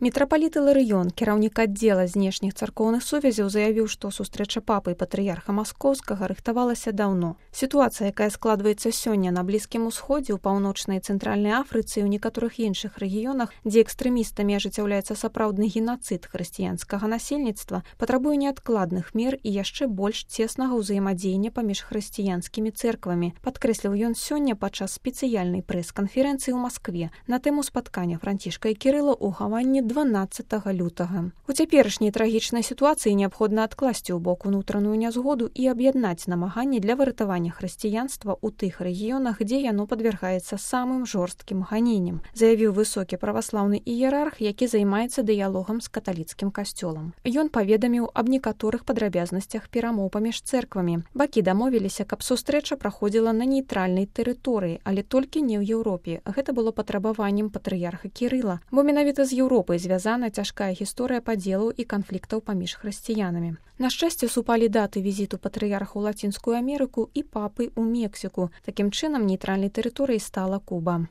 Мітрапаліт Іларыён, кіраўнік аддзела знешніх царкоўных сувязяў, заявіў, што сустрэча папы і патрыярха Маскоўскага рыхтавалася даўно. Сітуацыя, якая складваецца сёння на Блізкім Усходзе, у паўночнай і цэнтральнай Афрыцы і ў некаторых іншых рэгіёнах, дзе экстрэмістамі ажыццяўляецца сапраўдны генацыд хрысціянскага насельніцтва, патрабуе неадкладных мер і яшчэ больш цеснага ўзаемадзеяння паміж хрысціянскімі цэрквамі, падкрэсліў ён сёння падчас спецыяльнай прэс-канферэнцыі ў Маскве на тэму спаткання Францішка і Кірыла ў Гаване 12 лютага. У цяперашняй трагічнай сітуацыі неабходна адкласці ў бок унутраную нязгоду і аб'яднаць намаганні для выратавання хрысціянства ў тых рэгіёнах, дзе яно падвяргаецца самым жорсткім ганенням, заявіў высокі праваслаўны іерарх, які займаецца дыялогам з каталіцкім касцёлам. Ён паведаміў аб некаторых падрабязнасцях перамоў паміж цэрквамі. Бакі дамовіліся, каб сустрэча праходзіла на нейтральнай тэрыторыі, але толькі не ў Еўропе. Гэта было патрабаваннем патрыярха Кірыла, бо менавіта з Еўропай звязана цяжкая гісторыя падзелаў і канфліктаў паміж хрысціянамі. На шчасце, супалі даты візіту патрыярха ў Лацінскую Амерыку і папы ў Мексіку. Такім чынам, нейтральнай тэрыторыяй стала Куба.